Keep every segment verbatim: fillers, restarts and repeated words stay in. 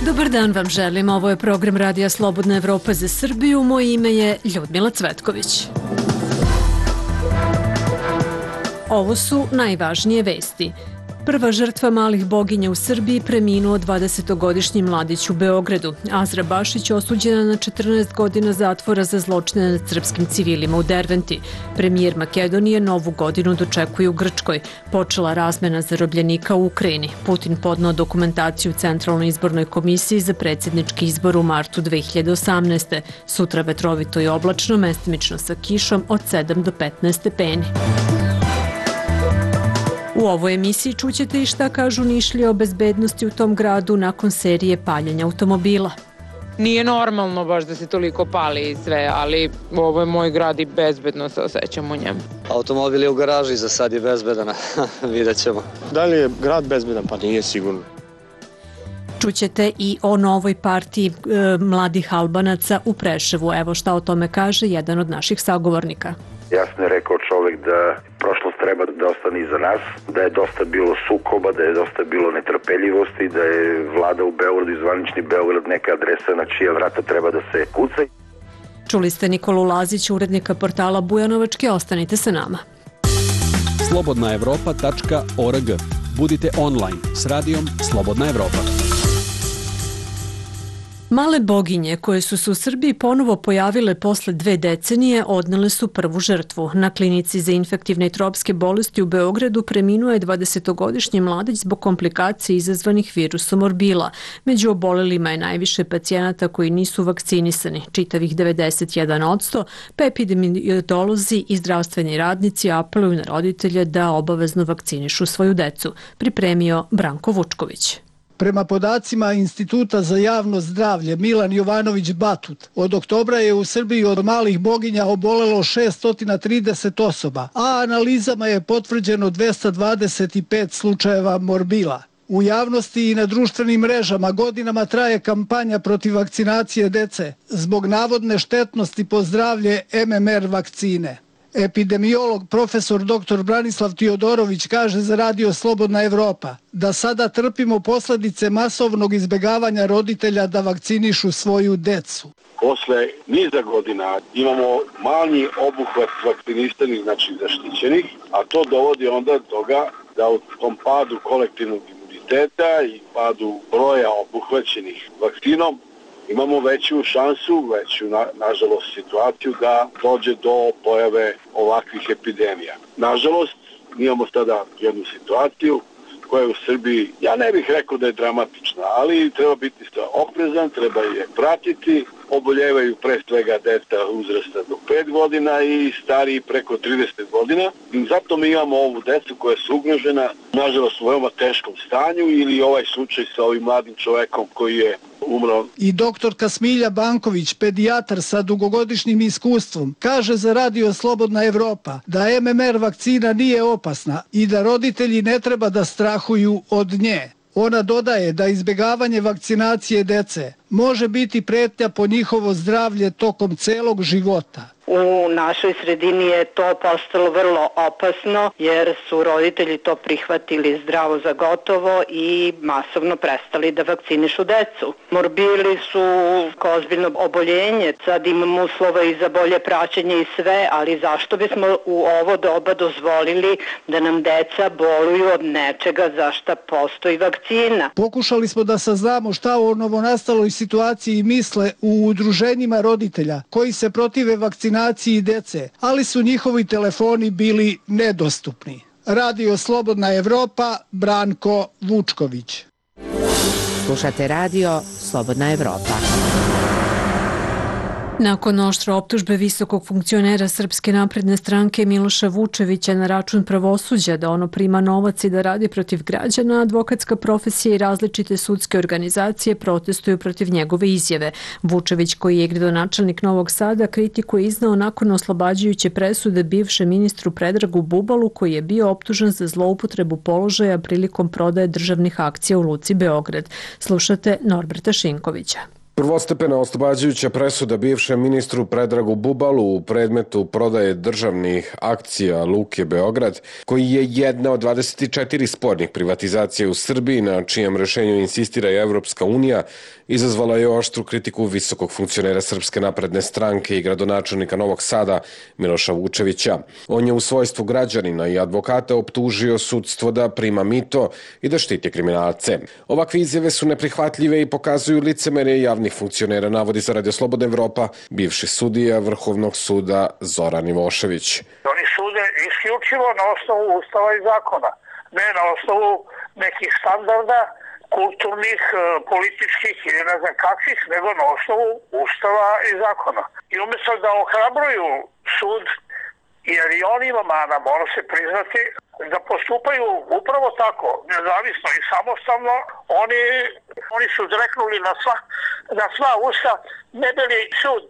Dobar dan vam želim, ovo je program Radija Slobodna Evropa za Srbiju, moje ime je Ljudmila Cvetković. Ovo su najvažnije vesti. Prva žrtva malih boginja u Srbiji preminuo dvadesetogodišnji mladić u Beogradu. Azra Bašić osuđena na četrnaest godina zatvora za zločine nad srpskim civilima u Derventi. Premijer Makedonije novu godinu dočekuje u Grčkoj. Počela razmena zarobljenika u Ukrajini. Putin podneo dokumentaciju Centralnoj izbornoj komisiji za predsjednički izbor u martu dve hiljade osamnaeste. Sutra vetrovito i oblačno, mestimično sa kišom od sedam do petnaest stepeni. U ovoj emisiji čućete i šta kažu Nišlije o bezbednosti u tom gradu nakon serije paljenja automobila. Nije normalno baš da se toliko pali i sve, ali ovo je moj grad i bezbedno se osjećam u njemu. Automobil je u garaži, za sad je bezbedan, vidjet ćemo. Da li je grad bezbedan? Pa nije sigurno. Čućete i o novoj partiji e, mladih Albanaca u Preševu. Evo šta o tome kaže jedan od naših sagovornika. Jasno je rekao čovjek da prošlost treba da ostane iza nas, da je dosta bilo sukoba, da je dosta bilo netrpeljivosti, da je vlada u Beogradu i zvanični Beograd neka adresa na čija vrata treba da se kuca. Čuli ste Nikolu Lazić, urednika portala Bujanovački, ostanite sa nama. slobodna evropa tačka org. Budite online s radijom Slobodna Evropa. Male boginje koje su se u Srbiji ponovo pojavile posle dve decenije odnele su prvu žrtvu. Na klinici za infektivne i tropske bolesti u Beogradu preminuo je dvadesetogodišnji mladić zbog komplikacija izazvanih virusom morbila. Među obolelima je najviše pacijenata koji nisu vakcinisani, čitavih devedeset jedan posto, pa epidemiolozi i zdravstveni radnici apeluju na roditelje da obavezno vakcinišu svoju decu. Pripremio Branko Vučković. Prema podacima Instituta za javno zdravlje Milan Jovanović Batut, od oktobra je u Srbiji od malih boginja obolelo šesto trideset osoba, a analizama je potvrđeno dvesta dvadeset pet slučajeva morbila. U javnosti i na društvenim mrežama godinama traje kampanja protiv vakcinacije dece zbog navodne štetnosti po zdravlje M M R vakcine. Epidemiolog profesor doktor Branislav Tiodorović kaže za Radio Slobodna Evropa da sada trpimo posljedice masovnog izbjegavanja roditelja da vakcinišu svoju decu. Posle niza godina imamo manji obuhvat vakcinisanih, znači zaštićenih, a to dovodi onda do toga da u tom padu kolektivnog imuniteta i padu broja obuhvaćenih vakcinom imamo veću šansu, veću na, nažalost situaciju da dođe do pojave ovakvih epidemija. Nažalost, imamo sada jednu situaciju koja je u Srbiji, ja ne bih rekao da je dramatična, ali treba biti oprezan, treba je pratiti. Oboljevaju pre svega deca uzrasta do pet godina i stariji preko trideset godina. I zato mi imamo ovu decu koja su ugrožena, nažalost u veoma teškom stanju, ili ovaj slučaj sa ovim mladim čovekom koji je umro. I doktorka Smilja Banković, pedijatar sa dugogodišnjim iskustvom, kaže za Radio Slobodna Evropa da M M R vakcina nije opasna i da roditelji ne treba da strahuju od nje. Ona dodaje da izbjegavanje vakcinacije dece može biti pretnja po njihovo zdravlje tokom celog života. U našoj sredini je to postalo vrlo opasno jer su roditelji to prihvatili zdravo za gotovo i masovno prestali da vakcinišu decu. Morbili su ozbiljno oboljenje, sad imamo uslova i za bolje praćenje i sve, ali zašto bismo u ovo doba dozvolili da nam deca boluju od nečega za šta postoji vakcina? Pokušali smo da saznamo šta o novonastaloj situaciji misle u udruženjima roditelja koji se protive vakcinaciji dece, ali su njihovi telefoni bili nedostupni. Radio Slobodna Evropa, Branko Vučković. Slušate Radio Slobodna Evropa. Nakon oštre optužbe visokog funkcionera Srpske napredne stranke Miloša Vučevića na račun pravosuđa da ono prima novac i da radi protiv građana, advokatska profesija i različite sudske organizacije protestuju protiv njegove izjave. Vučević, koji je gradonačelnik Novog Sada, kritiku je iznao nakon oslobađajuće presude bivšem ministru Predragu Bubalu, koji je bio optužen za zloupotrebu položaja prilikom prodaje državnih akcija u Luci Beograd. Slušate Norberta Šinkovića. Prvostepena oslobađajuća presuda bivšem ministru Predragu Bubalu u predmetu prodaje državnih akcija Luke Beograd, koji je jedna od dvadeset četiri spornih privatizacija u Srbiji, na čijem rešenju insistira i Evropska unija, izazvala je oštru kritiku visokog funkcionera Srpske napredne stranke i gradonačelnika Novog Sada Miloša Vučevića. On je u svojstvu građanina i advokata optužio sudstvo da prima mito i da štiti kriminalce. Ovakve izjave su neprihvatljive i pokazuju licemerje javnih funkcionera, navodi za Radio Slobodna Evropa bivši sudija Vrhovnog suda Zoran Ivošević. Oni sude isključivo na osnovu ustava i zakona, ne na osnovu nekih standarda kulturnih, političkih ili ne znam kakvih, nego na osnovu ustava i zakona. I umjesto da ohrabruju sud, jer i on ima mana, mora se priznati, da postupaju upravo tako, nezavisno i samostalno, oni, oni su zreknuli na sva, na sva usta, ne bili sud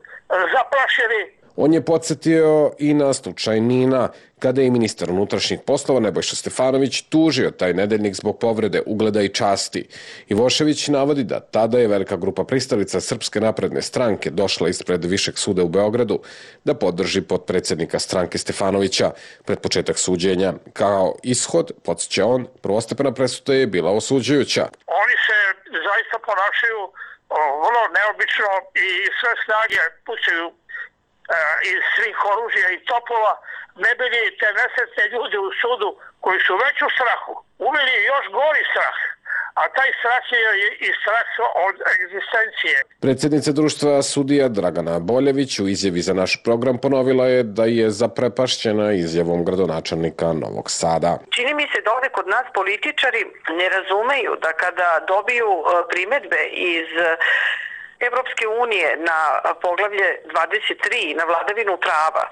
zaplašeni. On je podsjetio i na slučaj Nina, kada je ministar unutrašnjih poslova Nebojša Stefanović tužio taj nedeljnik zbog povrede ugleda i časti. Ivošević navodi da tada je velika grupa pristalica Srpske napredne stranke došla ispred Višeg suda u Beogradu da podrži potpredsjednika stranke Stefanovića pred početak suđenja. Kao ishod, podsjeća on, prvostepena presuda je bila osuđujuća. Oni se zaista ponašaju vrlo neobično i sve snage pucaju iz svih oružja i topova, ne bili te nesretne ljudi u sudu koji su već u strahu, uveli još gori strah, a taj strah je i strah od egzistencije. Predsjednica društva sudija Dragana Boljević u izjavi za naš program ponovila je da je zaprepašćena izjavom gradonačelnika Novog Sada. Čini mi se da ovdje kod nas političari ne razumeju da kada dobiju primedbe iz Evropske unije na poglavlje dvadeset tri, na vladavinu prava,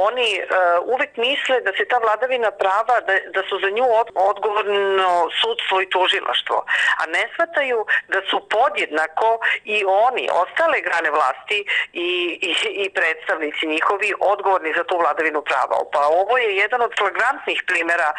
oni uh, uvek misle da se ta vladavina prava, da, da su za nju odgovorno sudstvo i tužilaštvo, a ne shvataju da su podjednako i oni, ostale grane vlasti i, i, i predstavnici njihovi odgovorni za tu vladavinu prava. Pa ovo je jedan od flagrantnih primjera uh,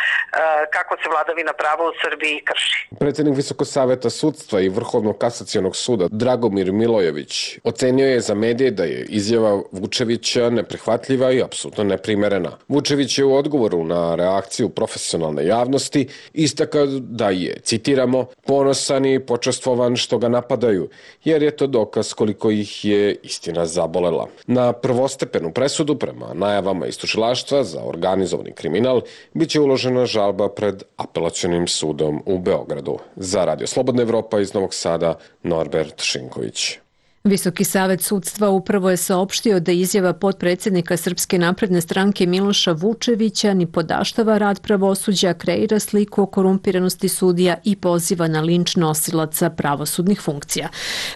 kako se vladavina prava u Srbiji krši. Predsjednik Visokog saveta sudstva i Vrhovnog kasacionog suda Dragomir Milojević ocenio je za medije da je izjava Vučevića neprihvatljiva i apsolutno neprimerena. Vučević je u odgovoru na reakciju profesionalne javnosti istakao da je, citiramo, ponosan i počastvovan što ga napadaju, jer je to dokaz koliko ih je istina zabolela. Na prvostepenu presudu prema najavama iz tužilaštva za organizovani kriminal biće uložena žalba pred apelacionim sudom u Beogradu. Za Radio Slobodna Evropa iz Novog Sada, Norbert Šinković. Visoki savet sudstva upravo je saopštio da izjava potpredsjednika Srpske napredne stranke Miloša Vučevića ni podaštava rad pravosuđa, kreira sliku o korumpiranosti sudija i poziva na linč nosilaca pravosudnih funkcija.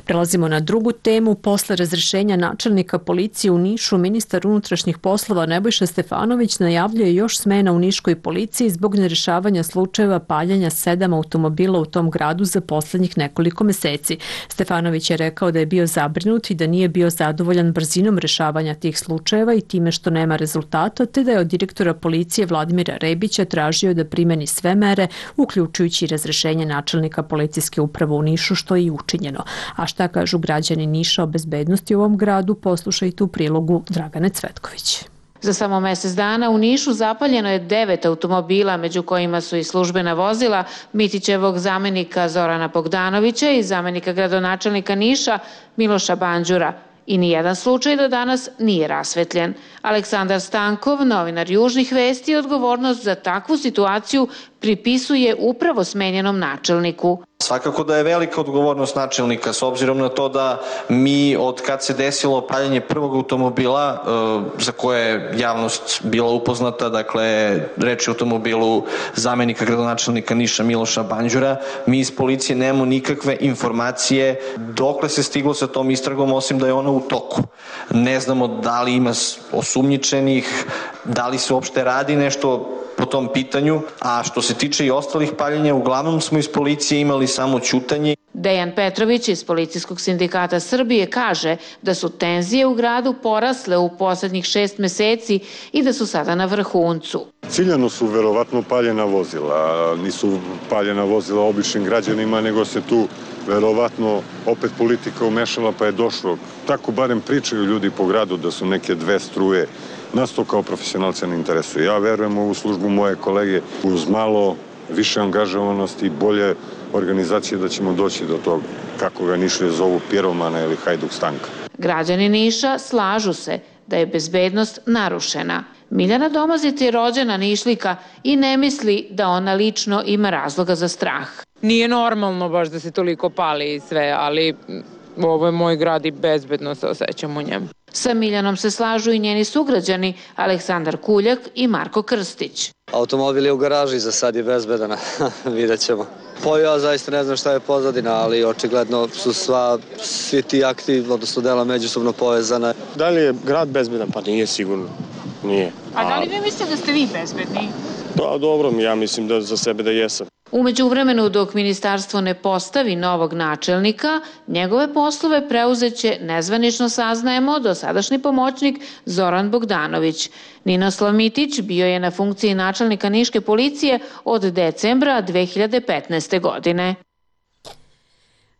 Prelazimo na drugu temu. Posle razrešenja načelnika policije u Nišu, ministar unutrašnjih poslova Nebojša Stefanović najavljuje još smena u niškoj policiji zbog nerešavanja slučajeva paljanja sedam automobila u tom gradu za poslednjih nekoliko meseci. Stefanović je rekao da je bio zabrinut i da nije bio zadovoljan brzinom rešavanja tih slučajeva i time što nema rezultata, te da je od direktora policije Vladimira Rebića tražio da primeni sve mere, uključujući razrešenje načelnika policijske uprave u Nišu, što je i učinjeno. A šta kažu građani Niša o bezbednosti u ovom gradu, poslušajte u prilogu Dragane Cvetković. Za samo mjesec dana u Nišu zapaljeno je devet automobila, među kojima su i službena vozila Mitićevog zamenika Zorana Bogdanovića i zamenika gradonačelnika Niša Miloša Banđura. I nijedan slučaj do danas nije rasvetljen. Aleksandar Stankov, novinar Južnih vesti, odgovornost za takvu situaciju pripisuje upravo smenjenom načelniku. Svakako da je velika odgovornost načelnika s obzirom na to da mi od kad se desilo paljenje prvog automobila za koje je javnost bila upoznata, dakle reč je o automobilu zamenika gradonačelnika Niša Miloša Banđura, mi iz policije nemamo nikakve informacije dokle se stiglo sa tom istragom osim da je ona u toku. Ne znamo da li ima osumnjičenih, da li se uopšte radi nešto po tom pitanju, a što se tiče i ostalih paljenja, uglavnom smo iz policije imali samo ćutanje. Dejan Petrović iz Policijskog sindikata Srbije kaže da su tenzije u gradu porasle u poslednjih šest meseci i da su sada na vrhuncu. Ciljano su verovatno paljena vozila, nisu paljena vozila običnim građanima, nego se tu verovatno opet politika umešala pa je došlo. Tako barem pričaju ljudi po gradu da su neke dve struje. Nas to kao profesionalca ne interesuje. Ja verujem u ovu službu moje kolege uz malo više angažovanosti i bolje organizacije da ćemo doći do toga, kako ga Nišlije zovu, piromana ili hajduk Stanka. Građani Niša slažu se da je bezbednost narušena. Miljana Domazit je rođena Nišlika i ne misli da ona lično ima razloga za strah. Nije normalno baš da se toliko pali i sve, ali ovo je moj grad i bezbedno se osjećam u njemu. Sa Miljanom se slažu i njeni sugrađani Aleksandar Kuljak i Marko Krstić. Automobil je u garaži, za sad je bezbedan, vidjet ćemo. Pa ja zaista ne znam šta je pozadina, ali očigledno su sva, svi ti akti, odnosno dela međusobno povezana. Da li je grad bezbedan? Pa nije sigurno. Nije. A da li vi mislite da ste vi bezbedni? Da, dobro, ja mislim da za sebe da jesam. U međuvremenu, dok ministarstvo ne postavi novog načelnika, njegove poslove preuzeće, nezvanično saznajemo, dosadašnji pomoćnik Zoran Bogdanović. Ninoslav Mitić bio je na funkciji načelnika Niške policije od decembra dve hiljade petnaeste. godine.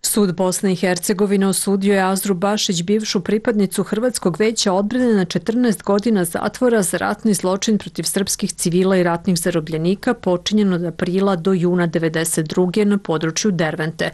Sud Bosne i Hercegovine osudio je Azru Bašić, bivšu pripadnicu Hrvatskog veća odbrane, na četrnaest godina zatvora za ratni zločin protiv srpskih civila i ratnih zarobljenika počinjen od aprila do juna devedeset druge. na području Dervente.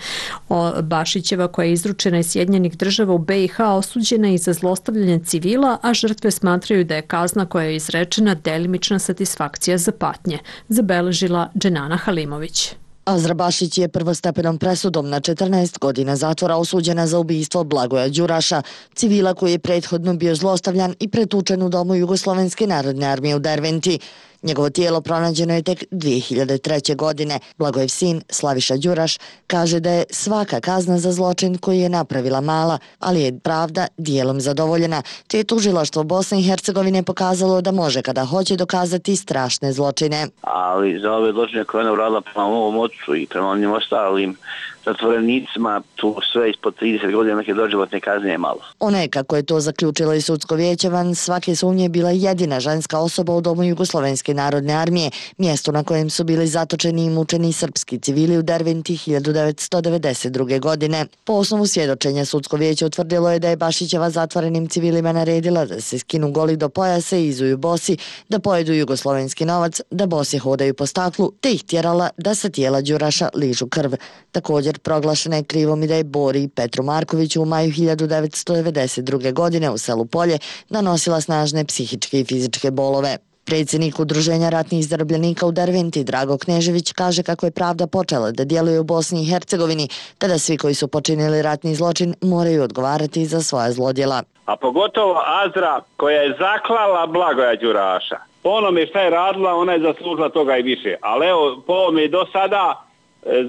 Bašićeva, koja je izručena iz Sjedinjenih država u be i ha, osuđena je i za zlostavljanje civila, a žrtve smatraju da je kazna koja je izrečena delimična satisfakcija za patnje, zabeležila Dženana Halimović. Azra Bašić je prvostepenom presudom na četrnaest godina zatvora osuđena za ubistvo Blagoja Đuraša, civila koji je prethodno bio zlostavljan i pretučen u domu Jugoslovenske narodne armije u Derventi. Njegovo tijelo pronađeno je tek dve hiljade treće. godine. Blagojev sin, Slaviša Đuraš, kaže da je svaka kazna za zločin koji je napravila mala, ali je pravda dijelom zadovoljena, te je tužilaštvo Bosne i Hercegovine pokazalo da može kada hoće dokazati strašne zločine. Ali za ove zločine koje ona uradila prema ovom ocu i prema onim ostalim zatvorenicima, tu sve ispod trideset godina neke doživotne kazne je malo. Ona je, kako je to zaključilo i sudsko vijeće, van svake sumnje bila jedina ženska osoba u domu Jugoslovenske narodne armije, mjesto na kojem su bili zatočeni i mučeni srpski civili u Derventi hiljadu devetsto devedeset druge. godine. Po osnovu svjedočenja sudsko vijeće utvrdilo je da je Bašićeva zatvorenim civilima naredila da se skinu goli do pojasa i izuju bosi, da pojedu jugoslovenski novac, da bosi hodaju po staklu, te ih tjerala da sa tijela Đuraša ližu krv. Također proglašena je krivom i da je Bori Petru Markoviću u maju hiljadu devetsto devedeset druge. godine u selu Polje nanosila snažne psihičke i fizičke bolove. Predsjednik Udruženja ratnih zarobljenika u Derventi, Drago Knežević, kaže kako je pravda počela da djeluje u Bosni i Hercegovini, te da svi koji su počinili ratni zločin moraju odgovarati za svoja zlodjela. A pogotovo Azra, koja je zaklala Blagoja Đuraša. Po onome šta je radila, ona je zaslužila toga i više. Ali evo, po ovome do sada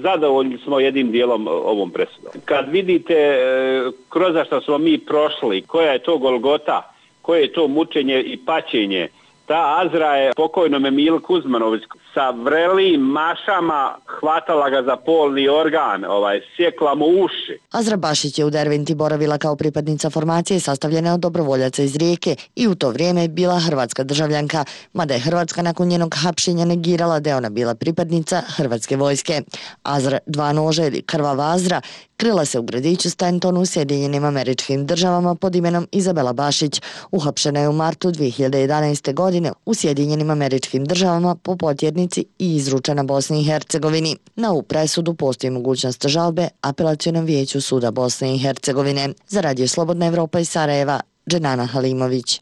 zadovoljni smo jednim dijelom ovom presudom. Kad vidite kroz što smo mi prošli, koja je to golgota, koje je to mučenje i paćenje, ta Azra je pokojnome Milu Kuzmanović sa vrelim mašama hvatala ga za polni organ, ovaj, sjekla mu uši. Azra Bašić je u Derventi boravila kao pripadnica formacije sastavljene od dobrovoljaca iz Rijeke i u to vrijeme bila hrvatska državljanka, mada je Hrvatska nakon njenog hapšenja negirala da je ona bila pripadnica hrvatske vojske. Azra dva noža ili krvava Azra krila se u gradiću Stanton u Sjedinjenim Američkim Državama pod imenom Izabela Bašić. Uhapšena je u martu dve hiljade jedanaeste. godine u Sjedinjenim Američkim Državama po potjernici i izručena Bosni i Hercegovini. Na ovu presudu postoji mogućnost žalbe Apelacionom vijeću suda Bosne i Hercegovine. Za Radio Slobodna Evropa iz Sarajeva, Dženana Halimović.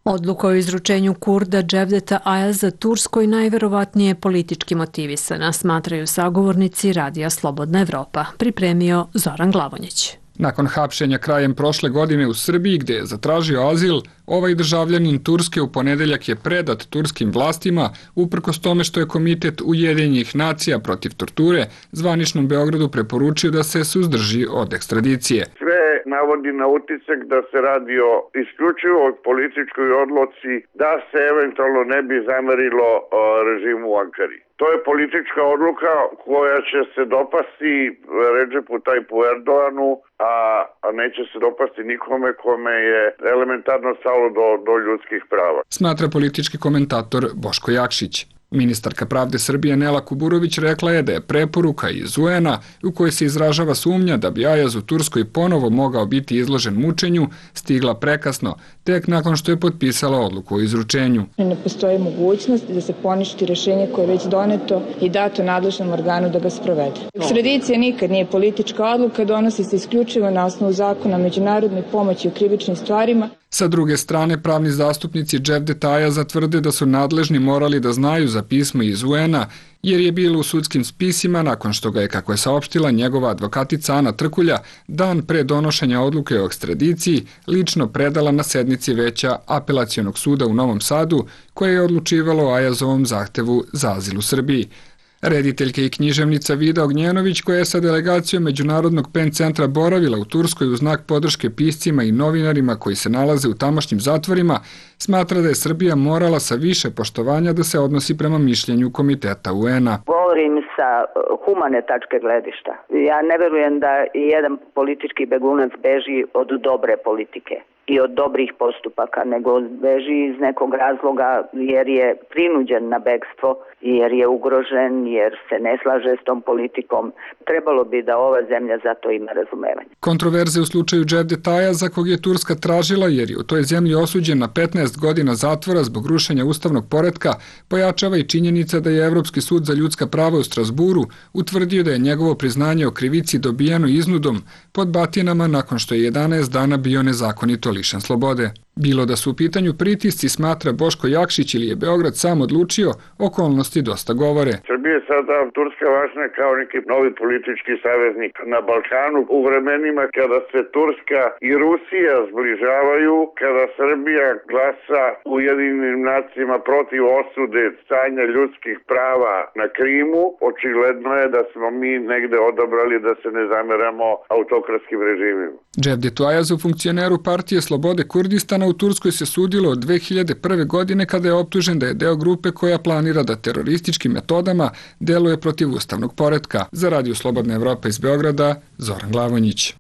Odluka o izručenju Kurda Cevdeta Ayaza Turskoj najverovatnije je politički motivisana, smatraju sagovornici Radija Slobodna Evropa. Pripremio Zoran Glavonjić. Nakon hapšenja krajem prošle godine u Srbiji, gde je zatražio azil, ovaj državljanin Turske u ponedeljak je predat turskim vlastima, uprkos tome što je Komitet Ujedinjenih nacija protiv torture zvaničnom Beogradu preporučio da se suzdrži od ekstradicije. Sve navodi na utisak da se radi o isključivo političkoj odluci da se eventualno ne bi zamerilo režimu u Ankari. To je politička odluka koja će se dopasti Redžepu Tajpu Erdoganu, a, a neće se dopasti nikome kome je elementarno stalo do, do ljudskih prava. Smatra politički komentator Boško Jakšić. Ministarka pravde Srbije Nela Kuburović rekla je da je preporuka iz U N-a u kojoj se izražava sumnja da bi Ayaz u Turskoj ponovo mogao biti izložen mučenju stigla prekasno, tek nakon što je potpisala odluku o izručenju. Ne postoji mogućnost da se poništi rešenje koje je već doneto i dato nadležnom organu da ga sprovede. Ekstradicija nikad nije politička odluka, donosi se isključivo na osnovu zakona o međunarodnoj pomoći u krivičnim stvarima. Sa druge strane, pravni zastupnici Cevdeta Ayaza tvrde da su nadležni morali da znaju za pismo iz U N-a, jer je bilo u sudskim spisima nakon što ga je, kako je saopštila njegova advokatica Ana Trkulja, dan pre donošenja odluke o ekstradiciji lično predala na sednici veća Apelacionog suda u Novom Sadu, koje je odlučivalo o Ayazovom zahtevu za azil u Srbiji. Rediteljka i književnica Vida Ognjenović, koja je sa delegacijom Međunarodnog pen centra boravila u Turskoj u znak podrške piscima i novinarima koji se nalaze u tamošnjim zatvorima, smatra da je Srbija morala sa više poštovanja da se odnosi prema mišljenju Komiteta U N-a. Govorim sa humane tačke gledišta. Ja ne verujem da jedan politički begunac beži od dobre politike i od dobrih postupaka, nego beži iz nekog razloga jer je prinuđen na bekstvo, jer je ugrožen, jer se ne slaže s tom politikom. Trebalo bi da ova zemlja za to ima razumevanje. Kontroverze u slučaju Cevdeta Ayaza, kog je Turska tražila jer je u toj zemlji osuđen na petnaest godina zatvora zbog rušenja ustavnog poretka, pojačava i činjenica da je Evropski sud za ljudska prava u Strasburu utvrdio da je njegovo priznanje o krivici dobijeno iznudom pod batinama nakon što je jedanaest dana bio nezakonito lišen slobode. Bilo da su u pitanju pritisci, smatra Boško Jakšić, ili je Beograd sam odlučio, okolnosti dosta govore. Srbija je sada Turska važna kao neki novi politički saveznik na Balkanu. U vremenima kada se Turska i Rusija zbližavaju, kada Srbija glasa u Ujedinjenim nacijama protiv osude stanja ljudskih prava na Krimu, očigledno je da smo mi negde odabrali da se ne zameramo autokratskim režimima. Cevdetu Ayazu, funkcioneru partije Slobode Kurdistana, u Turskoj se sudilo od dve hiljade prve. godine kada je optužen da je deo grupe koja planira da terorističkim metodama deluje protiv ustavnog poretka. Za Radio Slobodna Evropa iz Beograda, Zoran Glavonjić.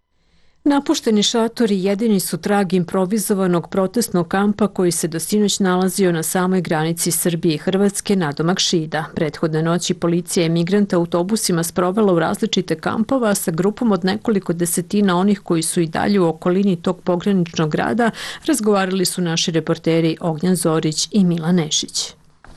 Napušteni šatori jedini su trag improvizovanog protestnog kampa koji se do sinoć nalazio na samoj granici Srbije i Hrvatske nadomak Šida. Prethodne noći policija je migrante autobusima sprovela u različite kampova sa grupom od nekoliko desetina onih koji su i dalje u okolini tog pograničnog grada, razgovarali su naši reporteri Ognjan Zorić i Milan Nešić.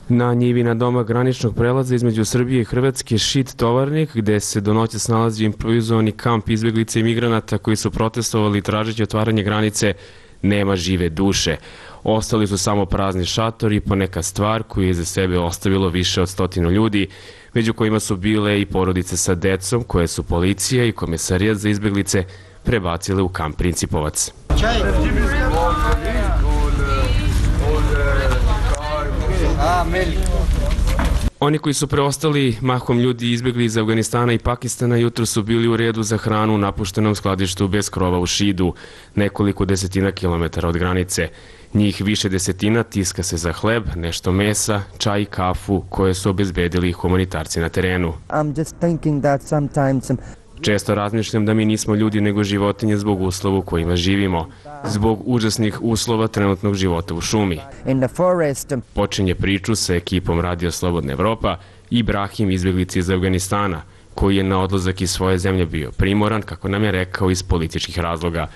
Na njivi na doma graničnog prelaza između Srbije i Hrvatske Šid Tovarnik, gde se do noći nalazi improvizovani kamp izbjeglica i migranata koji su protestovali tražeći otvaranje granice, nema žive duše. Ostali su samo prazni šatori i poneka stvar koju je za sebe ostavilo više od stotinu ljudi, među kojima su bile i porodice sa decom koje su policija i Komesarijat za izbjeglice prebacile u kamp Principovac. Oni koji su preostali, mahom ljudi izbjegli iz Afganistana i Pakistana, jutro su bili u redu za hranu u napuštenom skladištu bez krova u Šidu, nekoliko desetina kilometara od granice. Njih više desetina tiska se za hleb, nešto mesa, čaj i kafu koje su obezbedili humanitarci na terenu. Često razmišljam da mi nismo ljudi nego životinje zbog uslova u kojima živimo, zbog užasnih uslova trenutnog života u šumi. Počinje priču sa ekipom Radio Slobodna Evropa Ibrahim, izbjeglica iz Afganistana, koji je na odlazak iz svoje zemlje bio primoran, kako nam je rekao, iz političkih razloga.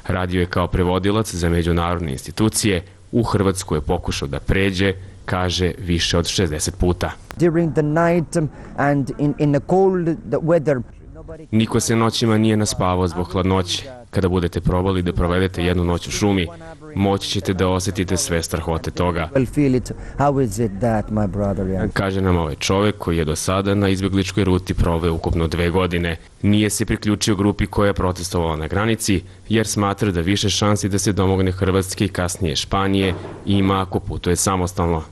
Radio je kao prevodilac za međunarodne institucije, u Hrvatsku je pokušao da pređe, kaže, više od šezdeset puta. Niko se noćima nije naspavao zbog hladnoće. Kada budete probali da provedete jednu noć u šumi, moći ćete da osjetite sve strahote toga. Kaže nam ovaj čovek koji je do sada na izbjegličkoj ruti proveo ukupno dve godine. Nije se priključio grupi koja je protestovala na granici, jer smatra da više šansi da se domogne Hrvatske i kasnije Španije ima ako putuje samostalno.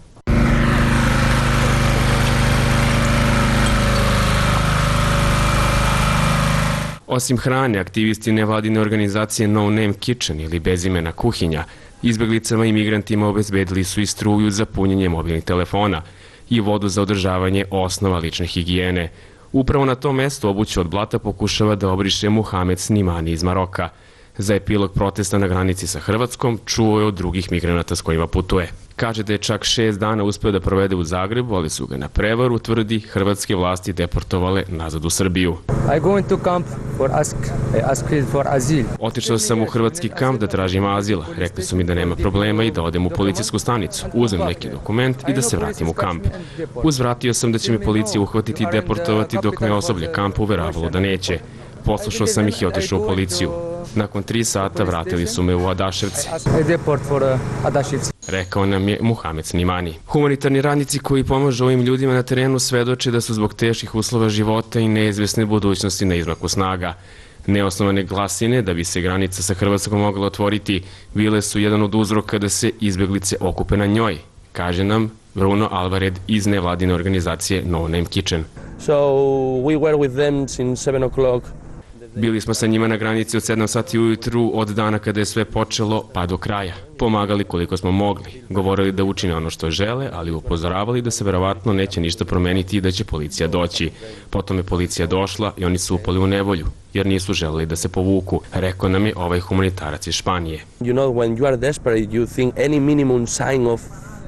Osim hrane, aktivisti nevladine organizacije No Name Kitchen ili bezimena kuhinja, izbjeglicama i migrantima obezbedili su i struju za punjenje mobilnih telefona i vodu za održavanje osnova lične higijene. Upravo na tom mestu obuću od blata pokušava da obriše Muhamed Snimani iz Maroka. Za epilog protesta na granici sa Hrvatskom čuo je od drugih migranata s kojima putuje. Kaže da je čak šest dana uspeo da provede u Zagrebu, ali su ga na prevaru, tvrdi, hrvatske vlasti deportovale nazad u Srbiju. Otišao sam u hrvatski kamp da tražim azil. Rekli su mi da nema problema i da odem u policijsku stanicu. Uzmem neki dokument i da se vratim u kamp. Uzvratio sam da će mi policija uhvatiti i deportovati dok me osoblje kampa uveravalo da neće. Poslušao sam ih i otišao u policiju. Nakon tri sata vratili su me u Adaševci. Rekao nam je Muhamed Snimani. Humanitarni radnici koji pomažu ovim ljudima na terenu svedoče da su zbog teških uslova života i neizvesne budućnosti na izmaku snaga. Neosnovane glasine da bi se granica sa Hrvatskom mogla otvoriti bile su jedan od uzroka da se izbjeglice okupe na njoj, kaže nam Bruno Alvared iz nevladine organizacije No Name Kitchen. So we were with them since seven o'clock. Bili smo sa njima na granici od sedam sati ujutru od dana kada je sve počelo pa do kraja. Pomagali koliko smo mogli. Govorili da učine ono što žele, ali upozoravali da se verovatno neće ništa promeniti i da će policija doći. Potom je policija došla i oni su upali u nevolju, jer nisu želeli da se povuku, rekao nam je ovaj humanitarac iz Španije. You know, when you are desperate, you think any minimum sign of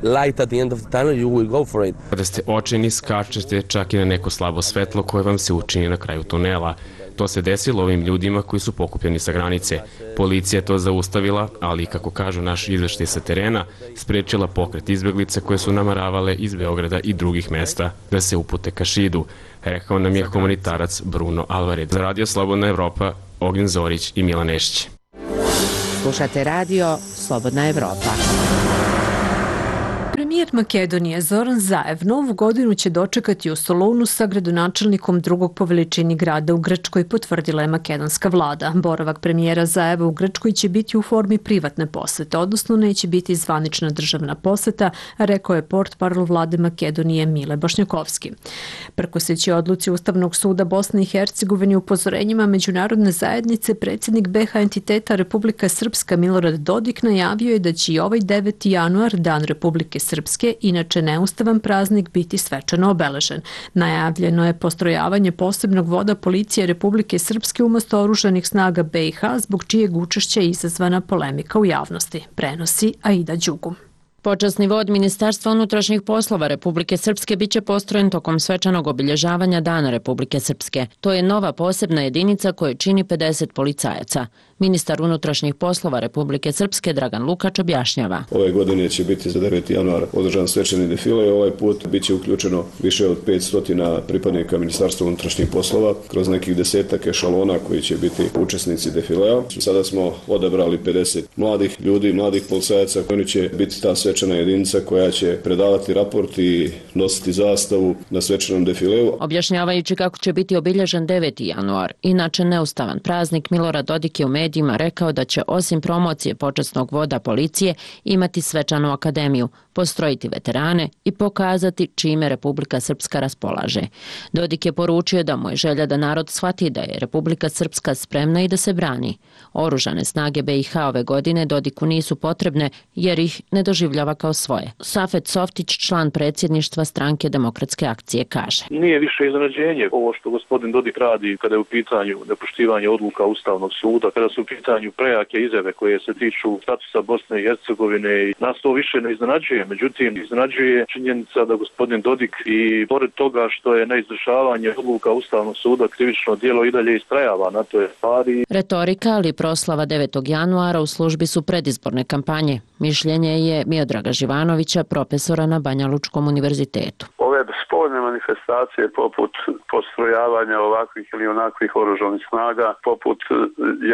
light at the end of the tunnel, you will go for it. Kada ste očajni, skačete čak i na neko slabo svetlo koje vam se učini na kraju tunela. To se desilo ovim ljudima koji su pokupljeni sa granice. Policija je to zaustavila, ali, kako kažu naši izveštaji sa terena, sprečila pokret izbjeglica koje su namaravale iz Beograda i drugih mesta da se upute ka Šidu, rekao nam je humanitarac Bruno Alvared. Za Radio Slobodna Evropa, Ognjen Zorić i Milan Nešić. Slušate radio Slobodna Evropa. Premijer Makedonije Zoran Zaev novu godinu će dočekati u Solunu sa gradonačelnikom drugog po veličini grada u Grčkoj, potvrdila je makedonska vlada. Boravak premijera Zaeva u Grčkoj će biti u formi privatne posete, odnosno neće biti zvanična državna poseta, rekao je portparol vlade Makedonije Mile Bošnjakovski. Prkoseći odluci Ustavnog suda Bosne i Hercegovine upozorenjima međunarodne zajednice, predsjednik B iH entiteta Republika Srpska Milorad Dodik najavio je da će i ovaj deveti januar, dan Republike Srpske, inače neustavan praznik, biti svečano obeležen. Najavljeno je postrojavanje posebnog voda policije Republike Srpske umesto oružanih snaga B iH, zbog čijeg učešća je izazvana polemika u javnosti, prenosi Aida Đugum. Počasni vod Ministarstva unutrašnjih poslova Republike Srpske biće postrojen tokom svečanog obilježavanja Dana Republike Srpske. To je nova posebna jedinica koju čini pedeset policajaca. Ministar unutrašnjih poslova Republike Srpske Dragan Lukač objašnjava. Ove godine će biti za deveti januar održan svečani defile i ovaj put biće uključeno više od petsto pripadnika Ministarstva unutrašnjih poslova kroz nekih desetak ešalona koji će biti učesnici defilea. Sada smo odabrali pedeset mladih ljudi, mladih policajaca. Oni će biti ta svečana jedinica koja će predavati raport i nositi zastavu na svečanom defileu. Objašnjavajući kako će biti obilježen deveti januar, inače neustavan praznik, Milorad Dodik je u medijima rekao da će osim promocije počasnog voda policije imati svečanu akademiju, postrojiti veterane i pokazati čime Republika Srpska raspolaže. Dodik je poručio da mu je želja da narod shvati da je Republika Srpska spremna i da se brani. Oružane snage B iH ove godine Dodiku nisu potrebne jer ih ne doživljava kao svoje. Safet Softić, član predsjedništva stranke Demokratske akcije, kaže. Nije više iznenađenje ovo što gospodin Dodik radi kada je u pitanju nepoštivanje odluka Ustavnog suda, kada su u pitanju prejake izjave koje se tiču statusa Bosne i Hercegovine i nas to više ne iznenađuje. Međutim, iznenađuje činjenica da gospodin Dodik i pored toga što je neizvršavanje odluka Ustavnog suda krivično djelo i dalje istrajava na toj stvari. Retorika, ali proslava devetog januara u službi su predizborne kampanje. Mišljenje je Miodraga Živanovića, profesora na Banja Lučkom univerzitetu. Ove spoljne manifestacije poput postrojavanja ovakvih ili onakvih oružanih snaga, poput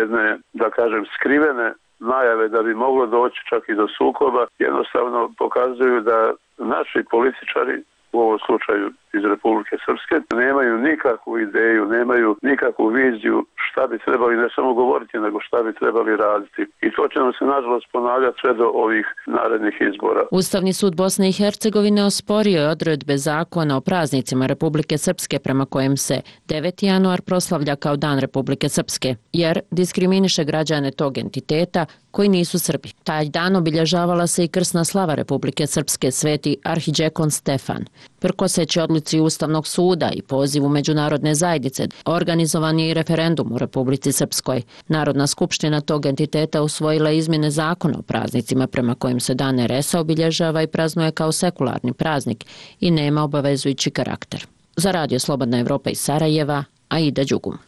jedne, da kažem, skrivene najave da bi moglo doći čak i do sukoba, jednostavno pokazuju da naši političari, u ovom slučaju iz Republike Srpske, nemaju nikakvu ideju, nemaju nikakvu viziju šta bi trebali ne samo govoriti, nego šta bi trebali raditi. I to će nam se nažalost ponavljati sve do ovih narednih izbora. Ustavni sud Bosne i Hercegovine osporio je odredbe zakona o praznicima Republike Srpske prema kojem se deveti januar proslavlja kao Dan Republike Srpske, jer diskriminiše građane tog entiteta koji nisu Srbi. Taj dan obilježavala se i krsna slava Republike Srpske sveti arhidžekon Stefan. Prkoseći odluci Ustavnog suda i pozivu međunarodne zajednice, organizovan je i referendum u Republici Srpskoj. Narodna skupština tog entiteta usvojila izmjene zakona o praznicima prema kojim se Dan er es a obilježava i praznuje kao sekularni praznik i nema obavezujući karakter. Za Radio Slobodna Evropa iz Sarajeva, Aida Đugum.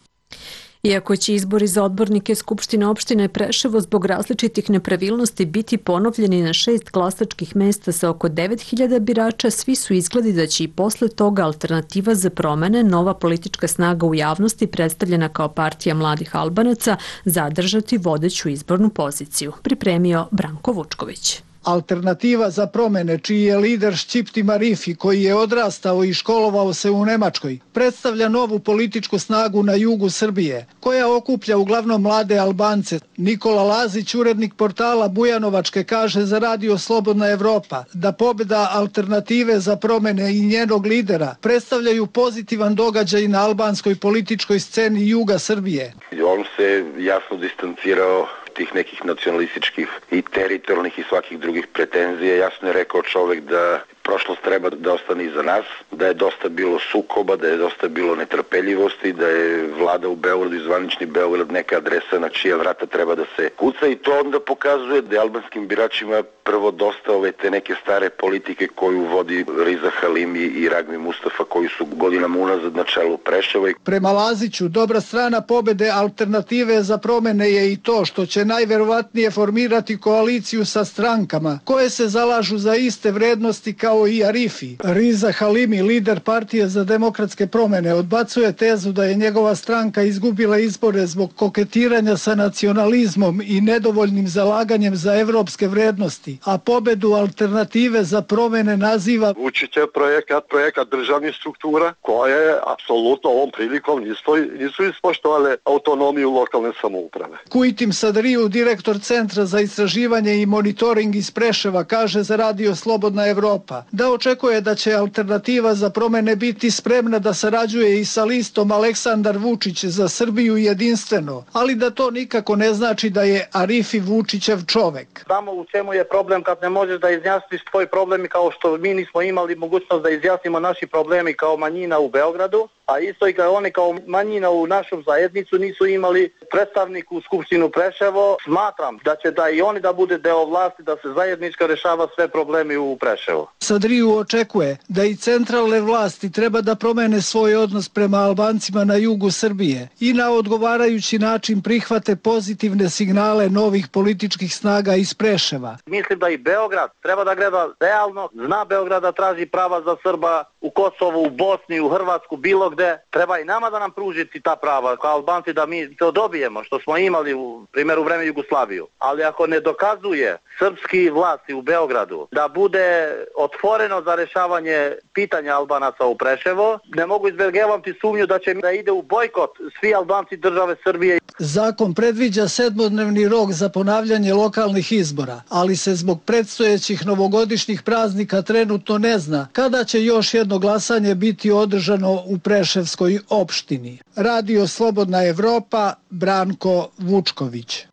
Iako će izbori za odbornike Skupštine opštine Preševo zbog različitih nepravilnosti biti ponovljeni na šest glasačkih mesta sa oko devet hiljada birača, svi su izgledi da će i posle toga Alternativa za promene, nova politička snaga u javnosti predstavljena kao partija mladih Albanaca, zadržati vodeću izbornu poziciju. Pripremio Branko Vučković. Alternativa za promene, čiji je lider Šćipti Marifi, koji je odrastao i školovao se u Nemačkoj, predstavlja novu političku snagu na jugu Srbije, koja okuplja uglavnom mlade Albance. Nikola Lazić, urednik portala Bujanovačke, kaže za Radio Slobodna Evropa da pobjeda Alternative za promene i njenog lidera predstavljaju pozitivan događaj na albanskoj političkoj sceni juga Srbije. On se jasno distancirao tih nekih nacionalističkih i teritorijalnih i svakih drugih pretenzija. Jasno je rekao čovjek da prošlost treba da ostane iza nas, da je dosta bilo sukoba, da je dosta bilo netrpeljivosti, da je vlada u Beogradu i zvanični Beograd neka adresa na čija vrata treba da se kuca i to onda pokazuje da je albanskim biračima prvo dosta ove te neke stare politike koju vodi Riza Halimi i Ragmi Mustafa koji su godinama unazad na čelu Preševa. Prema Laziću, dobra strana pobjede Alternative za promene je i to što će najverovatnije formirati koaliciju sa strankama koje se zalažu za iste vrednosti kao i Arifi. Riza Halimi, lider partije za demokratske promene, odbacuje tezu da je njegova stranka izgubila izbore zbog koketiranja sa nacionalizmom i nedovoljnim zalaganjem za evropske vrednosti, a pobedu Alternative za promene naziva Vučićev projekat, projekat državnih struktura koje apsolutno ovom prilikom nisu, nisu ispoštovale autonomiju lokalne samouprave. Kujtim Sadriju, direktor Centra za istraživanje i monitoring iz Preševa, kaže za Radio Slobodna Evropa da očekuje da će Alternativa za promene biti spremna da sarađuje i sa listom Aleksandar Vučić za Srbiju jedinstveno, ali da to nikako ne znači da je Arifi Vučićev čovek. Znamo u čemu je problem kad ne možeš da izjasniš tvoj problemi kao što mi nismo imali mogućnost da izjasnimo naši problemi kao manjina u Beogradu, a isto i kao oni kao manjina u našu zajednicu nisu imali predstavnik u Skupštinu Preševo. Smatram da će da i oni da bude deo vlasti, da se zajednički rešava sve problemi u Preševu. Sadriju očekuje da i centralne vlasti treba da promene svoj odnos prema Albancima na jugu Srbije i na odgovarajući način prihvate pozitivne signale novih političkih snaga iz Preševa. Mislim da i Beograd treba da gleda realno, zna Beograd da traži prava za Srba u Kosovu, u Bosni, u Hrvatsku, bilo gde. Treba i nama da nam pružiti ta prava kao Albanci da mi to dobijemo što smo imali u primjeru vreme Jugoslaviju. Ali ako ne dokazuje srpski vlasti u Beogradu da bude otvoreno za rešavanje pitanja Albanaca u Preševo, ne mogu izbjegavati sumnju da će da ide u bojkot svi Albanci države Srbije. Zakon predviđa sedmodnevni rok za ponavljanje lokalnih izbora, ali se zbog predstojećih novogodišnjih praznika trenutno ne zna kada će još jedno glasanje biti održano u Preševskoj opštini. Radio Slobodna Evropa, Branko Vučković.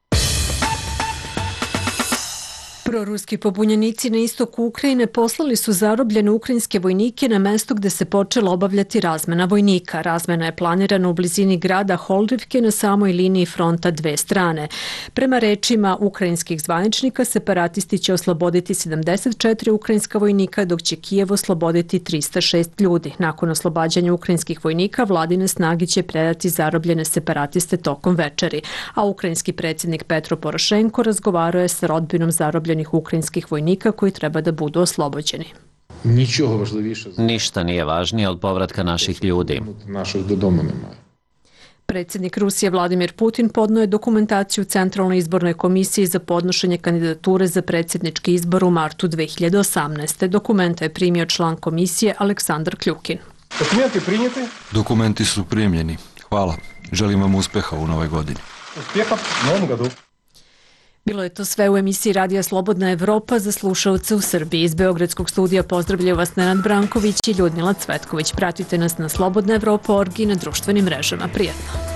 Proruski pobunjenici na istoku Ukrajine poslali su zarobljene ukrajinske vojnike na mesto gde se počela obavljati razmena vojnika. Razmena je planirana u blizini grada Holdivke na samoj liniji fronta dve strane. Prema rečima ukrajinskih zvaničnika, separatisti će osloboditi sedamdeset četiri ukrajinska vojnika, dok će Kijev osloboditi trista šest ljudi. Nakon oslobađanja ukrajinskih vojnika, vladine snage će predati zarobljene separatiste tokom večeri, a ukrajinski predsjednik Petro Porošenko razgovarao je sa rodbinom zarobljenih ukrajinskih vojnika koji treba da budu oslobođeni. Ništa nije važnije od povratka naših ljudi. Predsjednik Rusije Vladimir Putin podnio je dokumentaciju Centralnoj izbornoj komisiji za podnošenje kandidature za predsjednički izbor u martu dve hiljade osamnaeste. Dokumenta je primio član komisije Aleksandar Kljukin. Dokumenti primjeti? Dokumenti su primljeni. Hvala. Želim vam uspeha u novoj godini. Uspjeha u novom godu. Bilo je to sve u emisiji Radija Slobodna Evropa za slušalce u Srbiji. Iz Beogradskog studija pozdravljaju vas Nenad Branković i Ljudmila Cvetković. Pratite nas na slobodna evropa точка org i na društvenim mrežama. Prijetno!